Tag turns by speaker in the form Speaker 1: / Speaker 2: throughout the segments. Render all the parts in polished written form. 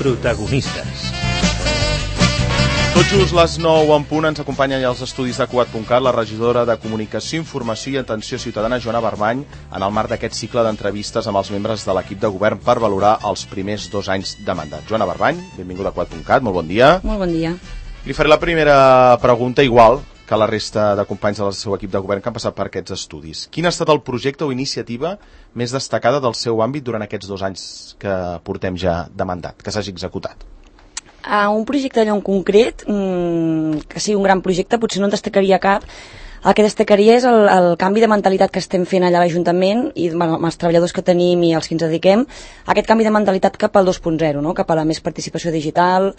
Speaker 1: Protagonistes.
Speaker 2: Tot just les 9 en punt ens acompanya ja als estudis de Cugat.cat la regidora de Comunicació, Informació i Atenció Ciutadana, Joana Barbany, en el marc d'aquest cicle d'entrevistes amb els membres de l'equip de govern per valorar els primers 2 anys de mandat. Joana Barbany, benvinguda a Cugat.cat, molt bon dia.
Speaker 3: Molt bon dia.
Speaker 2: Li faré la primera pregunta igual que la resta de companys del seu equip de govern que han passat per aquests estudis. Quin ha estat el projecte o iniciativa més destacada del seu àmbit durant aquests 2 anys que portem ja de mandat, que s'hagi executat?
Speaker 3: Un projecte allò en concret, que sigui un gran projecte, potser no en destacaria cap. El que destacaria és el canvi de mentalitat que estem fent allà a l'Ajuntament i amb els treballadors que tenim i els que ens dediquem, aquest canvi de mentalitat cap al 2.0, no? Cap a la més participació digital.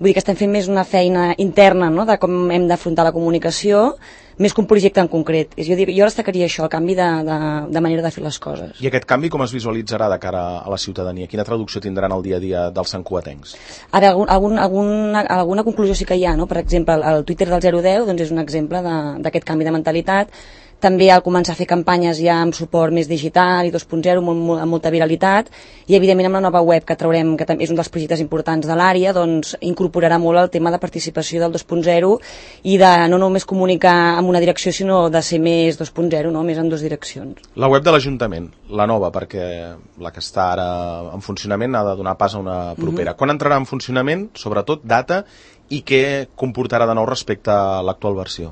Speaker 3: Vull dir que estem fent més una feina interna, no? De com hem d'afrontar la comunicació, més que un projecte en concret. Jo destacaria això, el canvi de manera de fer les coses.
Speaker 2: I aquest canvi com es visualitzarà de cara a la ciutadania? Quina traducció tindran el dia a dia dels santcugatencs?
Speaker 3: A veure, alguna conclusió sí que hi ha, no? Per exemple, el Twitter del 010 doncs és un exemple d'aquest canvi de mentalitat. També al començar a fer campanyes ja amb suport més digital i 2.0 amb molta viralitat, i evidentment amb la nova web que traurem, que també és un dels projectes importants de l'àrea, doncs incorporarà molt el tema de participació del 2.0 i de no només comunicar en una direcció sinó de ser més 2.0, no? Més en 2 direccions.
Speaker 2: La web de l'Ajuntament, la nova, perquè la que està ara en funcionament ha de donar pas a una propera. Quan entrarà en funcionament, sobretot data, i què comportarà de nou respecte a l'actual versió?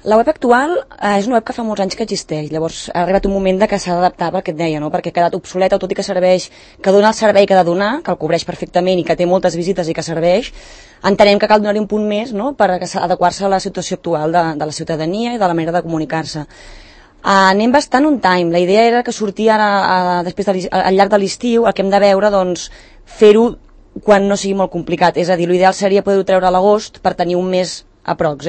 Speaker 3: La web actual és una web que fa molts anys que existeix, llavors ha arribat un moment que s'ha d'adaptar pel que et deia, no? Perquè ha quedat obsoleta, tot i que serveix, que dona el servei que ha de donar, que el cobreix perfectament i que té moltes visites i que serveix, entenem que cal donar-hi un punt més, no? Per adequar-se a la situació actual de la ciutadania i de la manera de comunicar-se. Anem bastant on time. La idea era que sortia ara, després al llarg de l'estiu, el que hem de veure, doncs, fer-ho quan no sigui molt complicat. És a dir, l'ideal seria poder-ho treure a l'agost per tenir un mes aprox,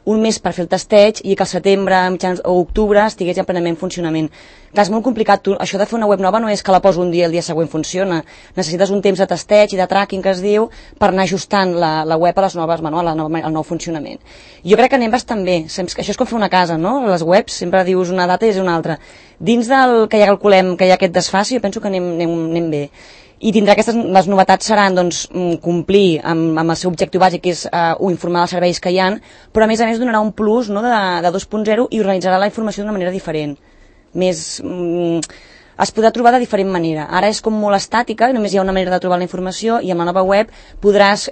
Speaker 3: un mes per fer el testeig i que al setembre o octubre estigués ja plenament en funcionament. Clar, és molt complicat. Això de fer una web nova no és que la poso un dia i el dia següent funciona. Necessites un temps de testeig i de tracking, que es diu, per anar ajustant la web a les noves, al nou funcionament. Jo crec que anem bastant bé. Això és com fer una casa, no? Les webs sempre dius una data i és una altra. Dins del que ja calculem que hi ha aquest desfassi, jo penso que anem bé. I tindrà les novetats seran doncs, complir amb el seu objectiu bàsic, que és informar dels serveis que hi ha, però a més donarà un plus, no, de 2.0 i organitzarà la informació d'una manera diferent. Es podrà trobar de diferent manera. Ara és com molt estàtica, només hi ha una manera de trobar la informació, i amb la nova web podràs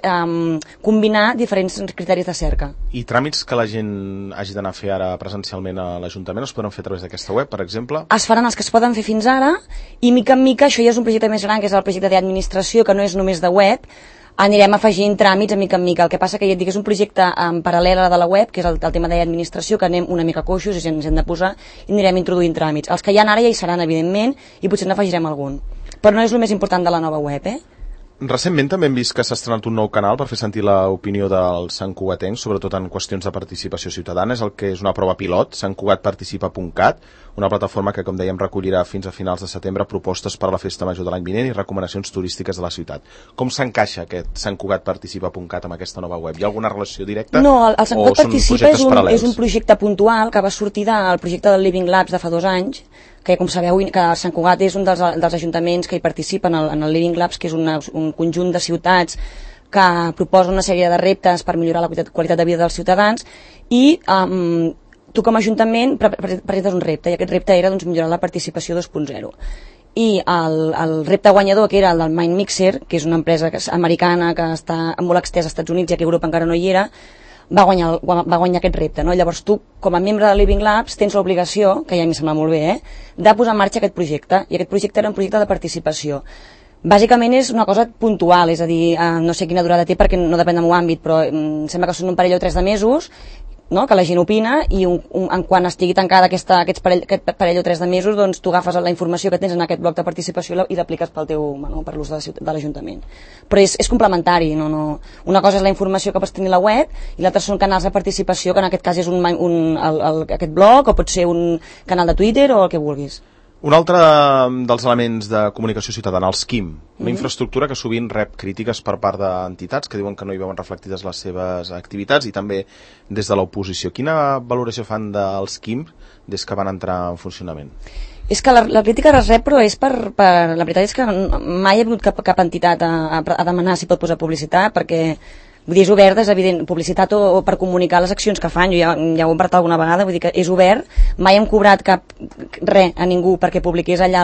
Speaker 3: combinar diferents criteris de cerca.
Speaker 2: I tràmits que la gent hagi d'anar a fer ara presencialment a l'Ajuntament es podran fer a través d'aquesta web, per exemple?
Speaker 3: Es faran els que es poden fer fins ara, i mica en mica, això ja és un projecte més gran, que és el projecte d'administració, que no és només de web, anirem afegint tràmits a mica en mica. El que passa que ja et dic, és un projecte en paral·lel a de la web, que és el tema d'administració, que anem una mica coixos i ens hem de posar, i anirem introduint tràmits. Els que hi ha ara ja hi seran, evidentment, i potser n'afegirem algun. Però no és el més important de la nova web,
Speaker 2: Recentment també hem vist que s'ha estrenat un nou canal per fer sentir l'opinió dels santcugatencs, sobretot en qüestions de participació ciutadana. És el que és una prova pilot, santcugatparticipa.cat, una plataforma que, com dèiem, recollirà fins a finals de setembre propostes per a la festa major de l'any vinent i recomanacions turístiques de la ciutat. Com s'encaixa aquest santcugatparticipa.cat amb aquesta nova web? Hi ha alguna relació directa?
Speaker 3: No, el Sant Cugat Participa és un projecte puntual que va sortir del projecte del Living Labs de fa 2 anys, que com sabeu, que Sant Cugat és un dels ajuntaments que hi participen en el Living Labs, que és un conjunt de ciutats que proposa una sèrie de reptes per millorar la qualitat de vida dels ciutadans, i tu com a ajuntament presentes un repte, i aquest repte era millorar la participació 2.0. I el repte guanyador, que era el del Mindmixer, que és una empresa americana que està molt extesa als Estats Units, ja que a Europa encara no hi era, va guanyar aquest repte, no? Llavors tu, com a membre de Living Labs, tens l'obligació, que ja m'hi sembla molt bé, de posar en marxa aquest projecte, i aquest projecte era un projecte de participació. Bàsicament és una cosa puntual, és a dir, no sé quina durada té perquè no depèn del meu àmbit, però em sembla que són un parell o 3 de mesos, no? Que la gent opina, i quan estigui tancada aquest parell o 3 de mesos, doncs tu agafes la informació que tens en aquest bloc de participació i l'apliques per l'ús de l'Ajuntament. Però és complementari, una cosa és la informació que pots tenir a la web i l'altra són canals de participació, que en aquest cas és aquest blog, o pot ser un canal de Twitter o el que vulguis.
Speaker 2: Un altre dels elements de comunicació ciutadana, els QIM, una infraestructura que sovint rep crítiques per part d'entitats que diuen que no hi veuen reflectides les seves activitats i també des de l'oposició. Quina valoració fan dels QIM des que van entrar en funcionament?
Speaker 3: És que la crítica es rep, però és la veritat és que mai ha vingut cap entitat a demanar si pot posar publicitat, perquè vull dir, és obert, és evident, publicitat o per comunicar les accions que fan, jo ja ho he parlat alguna vegada, vull dir que és obert, mai hem cobrat res a ningú perquè publiqués allà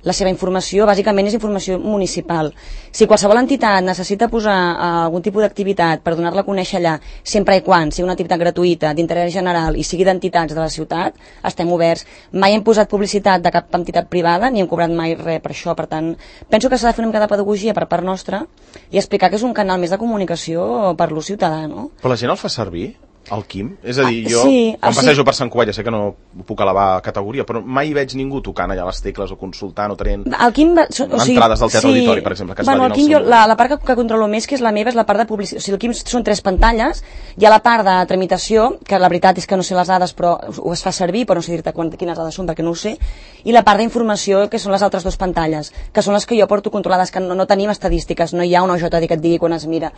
Speaker 3: la seva informació, bàsicament és informació municipal. Si qualsevol entitat necessita posar algun tipus d'activitat per donar-la a conèixer allà, sempre i quan sigui una activitat gratuïta, d'interès general i sigui d'entitats de la ciutat, estem oberts. Mai hem posat publicitat de cap entitat privada ni hem cobrat mai res per això, per tant, penso que s'ha de fer una mica de pedagogia per part nostra i explicar que és un canal més de comunicació per l'ús ciutadà, no?
Speaker 2: Però la gent el fa servir? El QIM? És a dir, jo
Speaker 3: sí,
Speaker 2: quan passejo per Sant Cugat, ja sé que no puc elevar categoria, però mai veig ningú tocant allà les tecles o consultant o tenint entrades del teatre auditori, per exemple, que es va dir en el seu moment.
Speaker 3: La part que controlo més, que és la meva, és la part de publicitat. O sigui, el QIM són 3 pantalles, hi ha la part de tramitació, que la veritat és que no sé les dades, però ho es fa servir, però no sé dir-te quines dades són, perquè no ho sé, i la part d'informació, que són les altres 2 pantalles, que són les que jo porto controlades, que no tenim estadístiques, no hi ha una OJD que et digui quan es mira.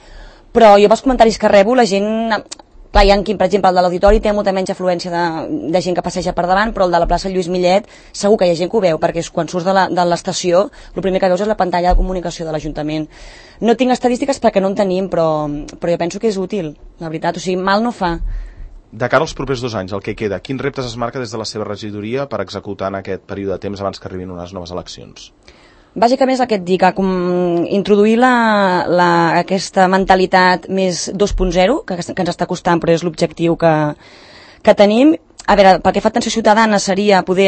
Speaker 3: Però jo pels comentaris que rebo, la gent... Clar, hi ha per exemple, el de l'auditori té molta menys afluència de gent que passeja per davant, però el de la plaça Lluís Millet segur que hi ha gent que ho veu, perquè quan surts de l'estació, el primer que veus és la pantalla de comunicació de l'Ajuntament. No tinc estadístiques perquè no en tenim, però jo penso que és útil, la veritat, o sigui, mal no fa.
Speaker 2: De cara als propers 2 anys, el que queda, quins reptes es marca des de la seva regidoria per executar en aquest període de temps abans que arribin unes noves eleccions?
Speaker 3: Bàsicament és el que et dic, introduir aquesta mentalitat més 2.0, que ens està costant, però és l'objectiu que tenim. A veure, pel que fa a atenció ciutadana seria poder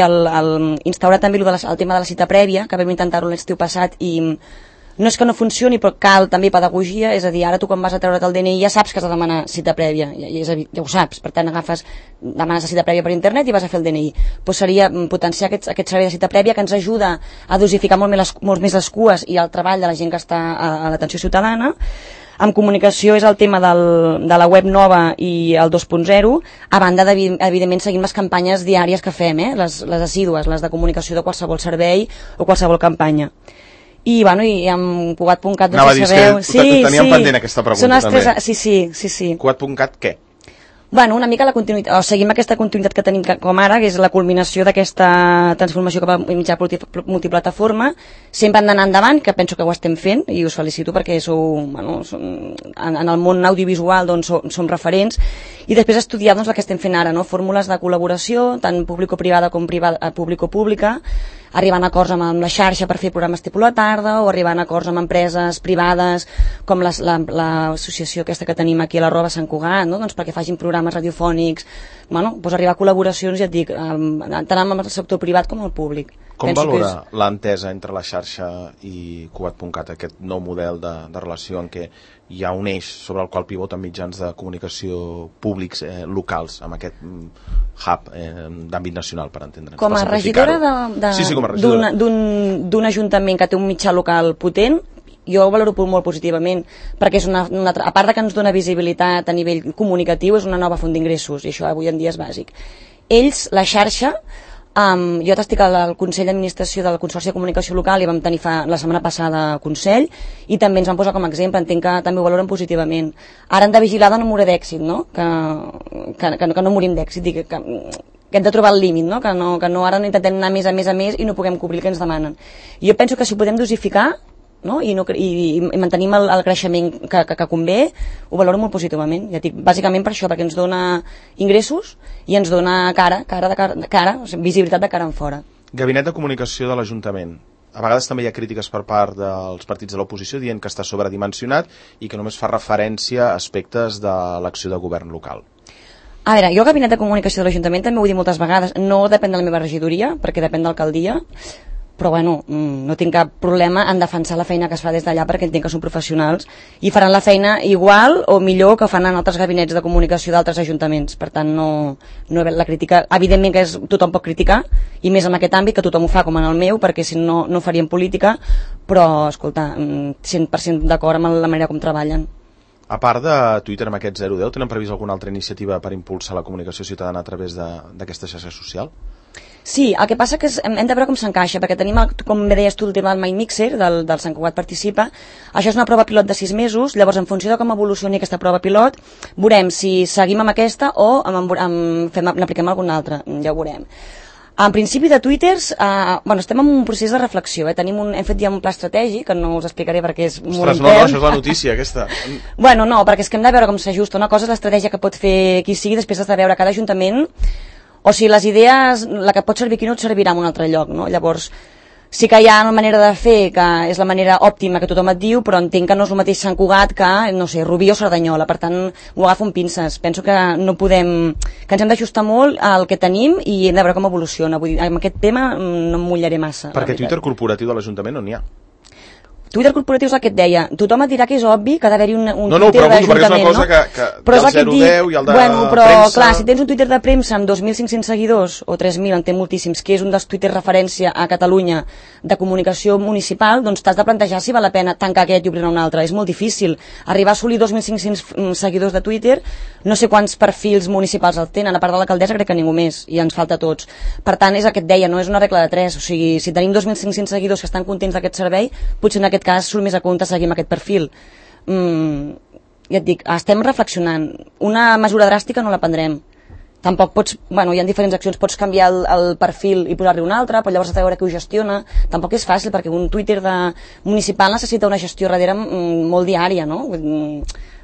Speaker 3: instaurar també el tema de la cita prèvia, que vam intentar-ho l'estiu passat i no és que no funcioni, però cal també pedagogia, és a dir, ara tu quan vas a treure't el DNI ja saps que has de demanar cita prèvia, ja ho saps, per tant demanes la cita prèvia per internet i vas a fer el DNI. Doncs seria potenciar aquest servei de cita prèvia que ens ajuda a dosificar molt més les cues i el treball de la gent que està a l'atenció ciutadana. Amb comunicació és el tema de la web nova i el 2.0, a banda evidentment seguim les campanyes diàries que fem, les assídues, les de comunicació de qualsevol servei o qualsevol campanya. I amb Cugat.cat
Speaker 2: no sé si sabeu... Teníem pendent aquesta pregunta també.
Speaker 3: Sí.
Speaker 2: Cugat.cat què?
Speaker 3: Una mica la continuïtat, o seguim aquesta continuïtat que tenim com ara, que és la culminació d'aquesta transformació cap a mitjà multiplataforma. Sempre hem d'anar endavant, que penso que ho estem fent, i us felicito perquè en el món audiovisual som referents, i després estudiar el que estem fent ara, fórmules de col·laboració, tant público-privada com público-pública, arribant a acords amb la xarxa per fer programes tipus la tarda, o arribant a acords amb empreses privades, com l'associació aquesta que tenim aquí a l'Arroba Sant Cugat, perquè facin programes radiofònics, arribar a col·laboracions, ja et dic, tant amb el sector privat com el públic.
Speaker 2: Com valora l'entesa entre la xarxa i Cugat.cat, aquest nou model de relació en què hi ha un eix sobre el qual pivoten mitjans de comunicació públics locals, amb aquest hub d'àmbit nacional, per entendre'ns?
Speaker 3: Com a regidora d'un ajuntament que té un mitjà local potent, jo ho valoro molt positivament, perquè és a part que ens dona visibilitat a nivell comunicatiu, és una nova font d'ingressos, i això avui en dia és bàsic. Ells, la xarxa, jo t'estic al Consell d'Administració del Consorci de Comunicació Local i vam tenir la setmana passada Consell i també ens van posar com a exemple, entenc que també ho valoren positivament. Ara hem de vigilar de no morir d'èxit, que no morim d'èxit, que hem de trobar el límit, que no ara no intentem anar més a més i no puguem cobrir el que ens demanen. Jo penso que si ho podem dosificar i mantenim el creixement que convé, ho valoro molt positivament, ja dic, bàsicament per això, perquè ens dona ingressos i ens dona cara, o sigui, visibilitat de cara en fora.
Speaker 2: Gabinet de Comunicació de l'Ajuntament. A vegades també hi ha crítiques per part dels partits de l'oposició dient que està sobredimensionat i que només fa referència a aspectes de l'acció de govern local.
Speaker 3: A veure, jo el Gabinet de Comunicació de l'Ajuntament també ho he dit moltes vegades, no depèn de la meva regidoria, perquè depèn de l'alcaldia, però no tinc cap problema en defensar la feina que es fa des d'allà perquè entenc que són professionals i faran la feina igual o millor que fan en altres gabinets de comunicació d'altres ajuntaments, per tant la crítica, evidentment que tothom pot criticar i més en aquest àmbit que tothom ho fa com en el meu, perquè si no faríem política, però escolta, 100% d'acord amb la manera com treballen.
Speaker 2: A part de Twitter amb aquest 010, tenen previst alguna altra iniciativa per impulsar la comunicació ciutadana a través d'aquesta xarxa social?
Speaker 3: Sí, el que passa que hem de veure com s'encaixa, perquè tenim, com bé deies tu, el tema del Mind Mixer, del Sant Cugat Participa. Això és una prova pilot de 6 mesos, llavors en funció de com evolucioni aquesta prova pilot, veurem si seguim amb aquesta o n'apliquem alguna altra, ja ho veurem. En principi de Twitters, estem en un procés de reflexió, hem fet ja un pla estratègic, que no us explicaré perquè és molt intern.
Speaker 2: No, això és la notícia, aquesta.
Speaker 3: No, perquè és que hem de veure com s'ajusta. Una cosa és l'estratègia que pot fer qui sigui, després has de veure cada ajuntament. O sigui, les idees, la que pot servir aquí no et servirà en un altre lloc, no? Llavors, sí que hi ha una manera de fer que és la manera òptima que tothom et diu, però entenc que no és el mateix Sant Cugat que, no sé, Rubí o Cerdanyola, per tant, ho agafo amb pinces. Penso que no podem, que ens hem d'ajustar molt al que tenim i hem de veure com evoluciona. Vull dir, amb aquest tema no em mullaré massa.
Speaker 2: Perquè Twitter corporatiu de l'Ajuntament no n'hi ha.
Speaker 3: Twitter corporatiu és el que et deia. Tothom et dirà que és obvi que ha d'haver-hi un
Speaker 2: Twitter
Speaker 3: d'Ajuntament,
Speaker 2: perquè és una cosa que
Speaker 3: però
Speaker 2: el 010 i el de
Speaker 3: però,
Speaker 2: premsa...
Speaker 3: clar, si tens un Twitter de premsa amb 2.500 seguidors, o 3.000, en té moltíssims, que és un dels Twitter referència a Catalunya de comunicació municipal, doncs t'has de plantejar si val la pena tancar aquest i obrir un altre. És molt difícil. Arribar a assolir 2.500 seguidors de Twitter, no sé quants perfils municipals el tenen, a part de l'alcaldessa crec que ningú més, i ens falta a tots. Per tant, és el que et deia, no és una regla de 3, o sigui, si tenim 2.500 seguidors que estan contents d'aquest servei, potser en aquest cas surt més a compte seguim aquest perfil. Ja et dic, estem reflexionant. Una mesura dràstica no la prendrem. Tampoc pots, hi ha diferents accions, pots canviar el perfil i posar-li un altre, però llavors has de veure qui ho gestiona. Tampoc és fàcil, perquè un Twitter municipal necessita una gestió darrere molt diària, no?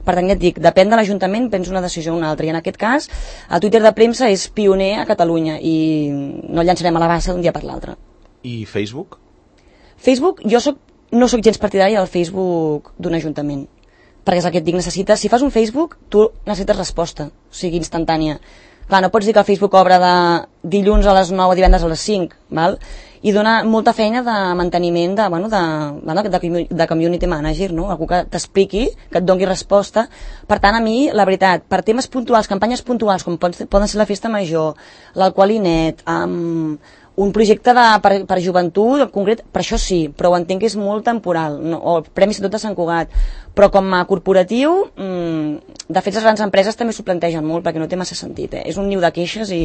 Speaker 3: Per tant, ja et dic, depèn de l'Ajuntament, prens una decisió o una altra. I en aquest cas, el Twitter de premsa és pioner a Catalunya i no llançarem a la bassa d'un dia per l'altre.
Speaker 2: I Facebook?
Speaker 3: Facebook, no soc gens partidària del Facebook d'un ajuntament, perquè és el que et dic, si fas un Facebook, tu necessites resposta, o sigui, instantània. Clar, no pots dir que el Facebook obre de dilluns a les 9 o divendres a les 5, val? I dona molta feina de manteniment de community manager, no? Algú que t'expliqui, que et doni resposta. Per tant, a mi, la veritat, per temes puntuals, campanyes puntuals, com poden ser la festa major, l'alcoholinet, un projecte per joventut en concret, per això sí, però ho entenc que és molt temporal, no? O el Premi Ciutat de Sant Cugat, però com a corporatiu de fet les grans empreses també s'ho plantegen molt perquè no té massa sentit, és un niu de queixes i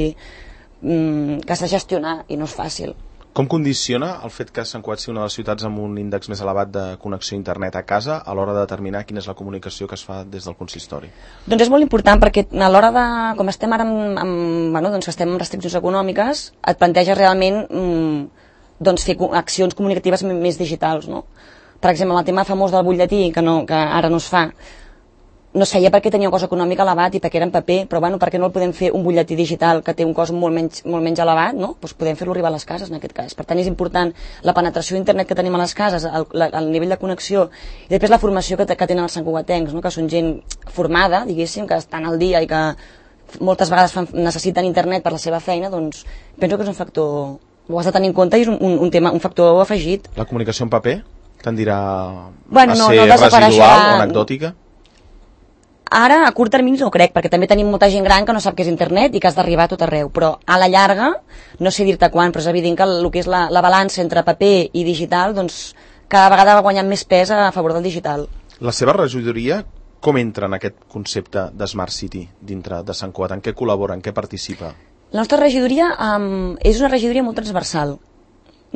Speaker 3: que s'ha de gestionar i no és fàcil.
Speaker 2: Com condiciona el fet que Sant Cugat sigui una de les ciutats amb un índex més elevat de connexió a internet a casa a l'hora de determinar quina és la comunicació que es fa des del consistori?
Speaker 3: Doncs és molt important perquè a l'hora de, com estem ara que estem amb restriccions econòmiques, et planteja realment fer accions comunicatives més digitals, no? Per exemple, el tema famós del butlletí, que ara no es fa, no es feia perquè tenia un cost econòmic elevat i perquè era en paper, però per què no el podem fer un butlletí digital que té un cost molt menys elevat, no? Doncs podem fer-lo arribar a les cases en aquest cas. Per tant, és important la penetració d'internet que tenim a les cases, el nivell de connexió i després la formació que tenen els santcugatencs, no? Que són gent formada, diguéssim, que estan al dia i que moltes vegades necessiten internet per la seva feina, doncs penso que és un factor, ho has de tenir en compte i és un factor afegit.
Speaker 2: La comunicació en paper tendirà a ser residual o anecdòtica?
Speaker 3: Ara, a curt termini no crec, perquè també tenim molta gent gran que no sap què és internet i que has d'arribar a tot arreu, però a la llarga, no sé dir-te quan, però és evident que el que és la balança entre paper i digital, doncs cada vegada va guanyant més pes a favor del digital.
Speaker 2: La seva regidoria com entra en aquest concepte de Smart City dintre de Sant Cugat? En què col·labora, en què participa?
Speaker 3: La nostra regidoria és una regidoria molt transversal.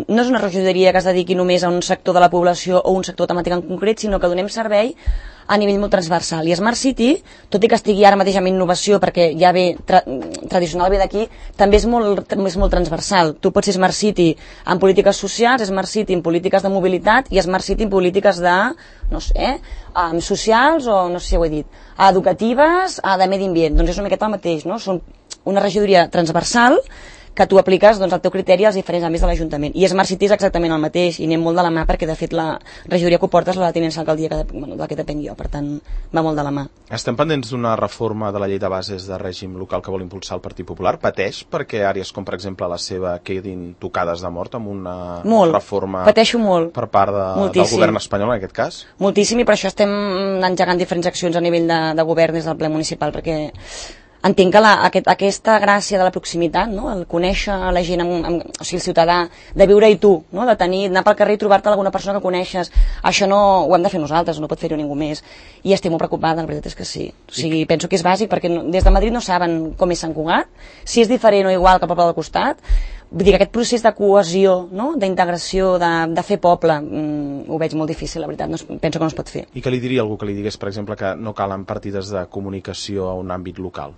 Speaker 3: No és una regidoria que es dediqui només a un sector de la població o un sector temàtic en concret, sinó que donem servei a nivell molt transversal. I Smart City, tot i que estigui ara mateix amb innovació, perquè ja ve tradicional ve d'aquí, també és molt transversal. Tu pots ser Smart City en polítiques socials, Smart City en polítiques de mobilitat i Smart City en polítiques de, no sé, socials o, no sé si ho he dit, educatives, de medi ambient. Doncs és una miqueta el mateix, no? Són una regidoria transversal que tu apliques el teu criteri als diferents àmbits de l'Ajuntament. I Smart City és exactament el mateix, i anem molt de la mà perquè, de fet, la regidoria que ho portes la tinença alcaldia de la que depenc jo, per tant, va molt de la mà.
Speaker 2: Estem pendents d'una reforma de la llei de bases de règim local que vol impulsar el Partit Popular. Pateix perquè àrees com, per exemple, la seva quedin tocades de mort amb una reforma per part del govern espanyol, en aquest cas?
Speaker 3: Moltíssim, i per això estem engegant diferents accions a nivell de govern des del ple municipal, perquè entenc que aquesta gràcia de la proximitat, no? El conèixer la gent, o sigui, el ciutadà, de viure-hi tu, no? D'anar pel carrer i trobar-te alguna persona que coneixes, això no ho hem de fer nosaltres, no pot fer-ho ningú més. I estic molt preocupada, la veritat és que sí. O sigui, penso que és bàsic, perquè des de Madrid no saben com és Sant Cugat, si és diferent o igual que el poble del costat, Vull dir que aquest procés de cohesió, no? D'integració, de fer poble, ho veig molt difícil, la veritat, penso que no es pot fer.
Speaker 2: I què li diria algú que li digués, per exemple, que no calen partides de comunicació a un àmbit local?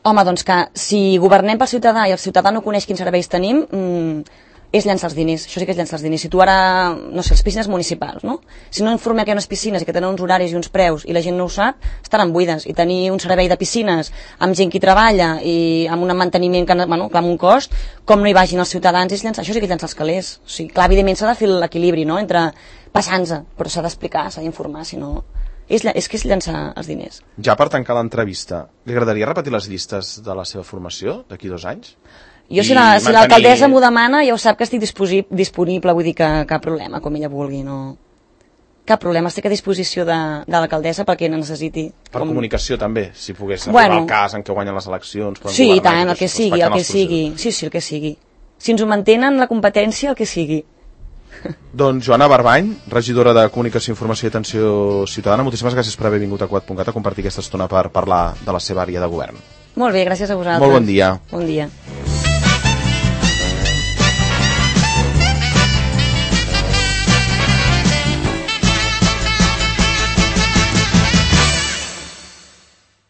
Speaker 3: Home, doncs que si governem pel ciutadà i el ciutadà no coneix quins serveis tenim, és llançar els diners, això sí que és llançar els diners. Si tu ara, no sé, les piscines municipals, no? Si no informem que hi ha unes piscines i que tenen uns horaris i uns preus i la gent no ho sap, estaran buides. I tenir un servei de piscines amb gent que hi treballa i amb un manteniment que, bueno, amb un cost, com no hi vagin els ciutadans, és llançar, això sí que és llançar els calés. O sigui, clar, evidentment s'ha de fer l'equilibri, no?, entre passant-se, però s'ha d'explicar, s'ha d'informar, si no... És que és llançar els diners.
Speaker 2: Ja per tancar l'entrevista, li agradaria repetir les llistes de la seva formació d'aquí 2 anys?
Speaker 3: Jo, si l'alcaldessa m'ho demana, ja ho sap que estic disponible, vull dir que cap problema, com ella vulgui, no... Cap problema, estic a disposició de l'alcaldessa pel que necessiti.
Speaker 2: Per comunicació també, si pogués arribar al cas en què guanyen les eleccions...
Speaker 3: Sí, i tant, el que sigui, Sí, el que sigui. Si ens ho mantenen la competència, el que sigui.
Speaker 2: Doncs Joana Barbany, regidora de Comunicació, Informació i Atenció Ciutadana, moltíssimes gràcies per haver vingut a Quat.cat a compartir aquesta estona per parlar de la seva àrea de govern.
Speaker 3: Molt bé, gràcies a vosaltres.
Speaker 2: Molt bon dia.
Speaker 3: Bon dia.